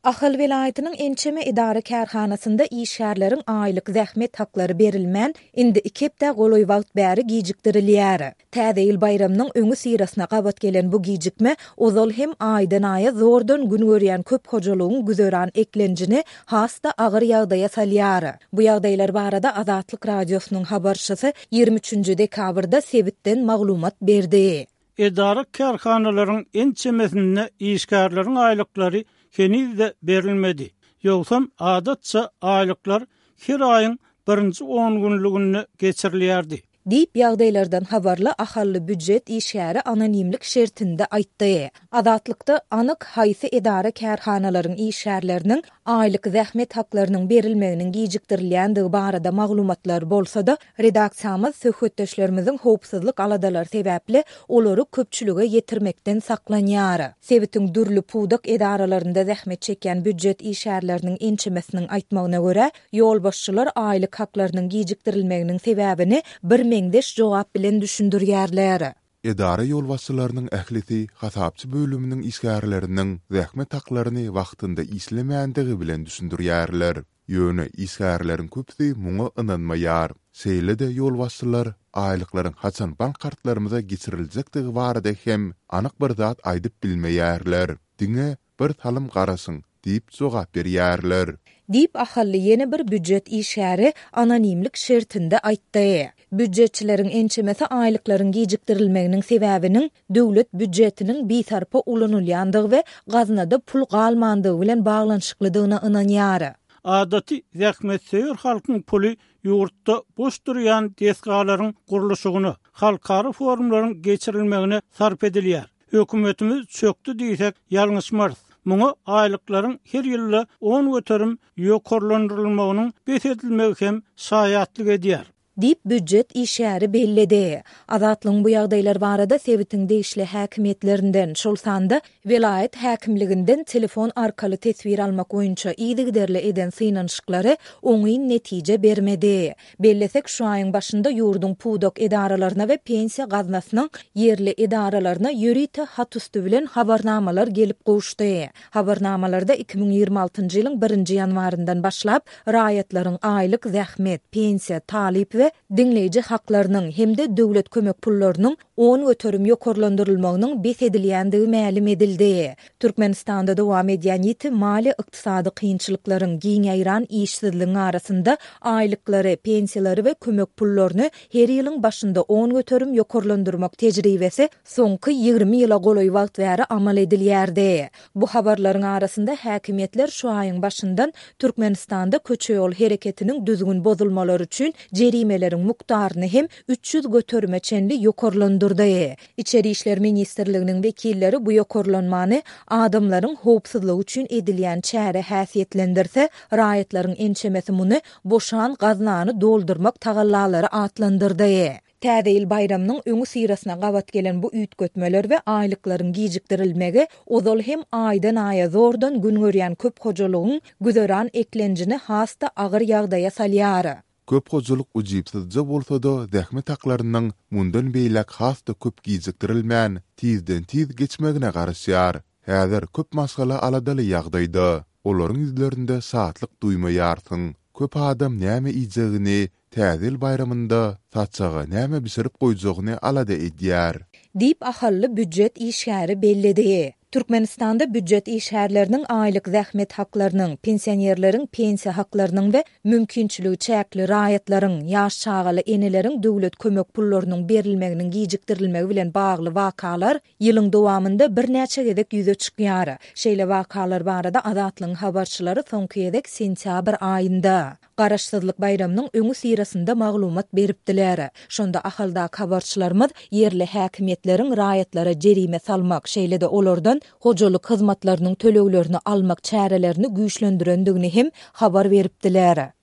Ahal welaýatynyň ençeme edara-kärhanasynda işgärleriň aýlyk zähmet haklary berilmän, indi iki hepdä golaý wagt bäri gijikdirilýär. Täze ýyl baýramynyň öňüsyrasyna gabat gelen bu gijikme ozal hem aýdan-aýa zordan gün görýän köp hojalygyň güzeran eklenjini has-da agyr ýagdaýa salýar. Bu ýagdaýlar barada Azatlyk Radiosynyň habarçysy 23 dekabrda sebitden maglumat berdi. Edara-kärhanalaryň ençemesinde işgärleriň aýlyklary heniz-de berilmedi. Ýogsam, adatça, aýlyklar her aýyň birinji ongünlüginde geçirilýärdi. Diýip, ýagdaýlardan habarly ahally býujet işgäri anonimlik şertinde aýtdy. Azatlykda anyk haýsy edara-kärhanalaryň işgärleriniň aýlyk zähmet haklarynyň berilmeginiň gijikdirilýändigi barada maglumatlar bolsa-da, redaksiýamyz söhbetdeşlerimiziň howpsuzlyk aladalary sebäpli olary köpçülige ýetirmekden saklanýar. Sebitiň dürli pudak edaralarynda zähmet çekýän býujet işgärleriniň ençemesiniň aýtmagyna görä, Ýolbaşçylar aýlyk haklarynyň gijikdirilmeginiň sebäbini birmeňzeş jogap bilen düşündirýärler. Edara ýolbaşçylarynyň ählisi hasapçy bölüminiň işgärleriniň zähmet haklaryny wagtynda işlemändigi bilen düşündirýärler. Ýöne işgärleriň köpüsi muňa ynanmaýar. Şeýle-de ýolbaşçylar aýlyklaryň haçan bank kartlarymyza geçiriljekdigi barada hem anyk bir zat aýdyp bilmeýärler. Diňe Bir salym garaşyň, diýip jogap berýärler. Diýip, ahally ýene bir býujet işgäri anonimlik şertinde aýtdy. Býujetçileriň ençemesi aýlyklaryň gijikdirilmeginiň sebäbiniň döwlet býujetiniň bisarpa ulanylýandygy we gaznada pul galmandygy bilen baglanyşyklydygyna ynanýar. Adaty zähmetsöýer halkyň puly ýurtda boş durýan desgalaryň gurluşygyna, halkara forumlaryň geçirilmegine sarp edilýär. Hökümetimiz çökdi diýsek, ýalňyşmarys. Muňa aýlyklaryň her ýylda 10% ýokarlandyrylmagynyň bes edilmegi hem şaýatlyk edýär. Diýip, býujet işgäri belledi. Azatlygyň bu ýagdaýlar barada sebitiň degişli häkimiýetlerinden, şol sanda welaýat häkimliginden telefon arkaly teswir almak boýunça yzygiderli eden synanyşyklary oňyn netije bermedi. Bellesek, şu aýyň başynda ýurduň pudak edaralaryna we Pensiýa gaznasynyň ýerli edaralaryna ýörite hat üsti bilen habarnamalar gelip gowuşdy. Habarnamalarda 2026-njy ýylyň birinji ýanwaryndan başlap, raýatlaryň aýlyk zähmet, pensiýa, talyp we diňleýji haklarynyň hem-de döwlet kömek pullarynyň 10% ýokarlandyrylmagynyň bes edilýändigi mälim edildi. Türkmenistanda dowam edýän ýiti maliýe-ykdysady kynçylyklaryň, giň ýaýran işsizligiň arasynda aýlyklary, pensiýalary we kömek pullaryny her ýylyň başynda 10% ýokarlandyrmak tejribesi soňky 20 ýyla golaý wagt bäri amal edilýärdi. Bu habarlaryň arasynda häkimiýetler şu aýyň başyndan Türkmenistanda köçe-ýol hereketiniň düzgün bozulmalary üçin jerimeleriň mukdaryny hem 300 göterime çenli ýokarlandyrdy. Içeri işler ministrliginiň wekilleri bu ýokarlanmany adamlaryň howpsuzlygy üçin edilýän çäre häsiýetlendirse, raýatlaryň ençemesi muny boşan gaznany doldurmak tagallalary atlandyrdy. Täze ýyl baýramynyň öňüsyrasyna gabat gelen bu üýtgetmeler we aýlyklaryň gijikdirilmegi ozal hem aýdan-aýa zordan gün görýän köp hojalygyň güzeran eklenjini has-da agyr ýagdaýa salýar. Köp hojalyk ujypsyzja bolsa-da zähmet haklarynyň mundan beýläk has-da köp gijikdirilmän, tizden-tiz geçmegine garaşýar. Häzir köp maşgala aladaly ýagdaýda. Olaryň ýüzlerinde şatlyk duýmaýarsyň. Köp adam näme iýjegini, Täze ýyl baýramynda saçaga näme bişirip goýjagyny alada edýär. Diýip, ahally býujet işgäri belledi. Türkmenistanda býujet işgärleriniň aýlyk zähmet haklarynyň, pensionerleriň pensiýa haklarynyň we mümkinçiligi çäkli raýatlaryň, ýaş çagaly eneleriň döwlet kömek pullarynyň berilmeginiň gijikdirilmegi bilen bagly wakalar ýylyň dowamynda birnäçe gezek ýüze çykýar. Şeýle wakalar barada Azatlygyň habarçylary soňky gezek sentýabr aýynda, Garaşsyzlyk baýramynyň öňüsyrasynda maglumat beripdiler. Şonda Ahaldaky habarçylarymyz ýerli häkimiýetleriň raýatlara jerime salmak, şeýle-de olardan hojalyk hyzmatlarynyň töleglerini almak çärelerini güýçlendirendigini hem habar beripdiler.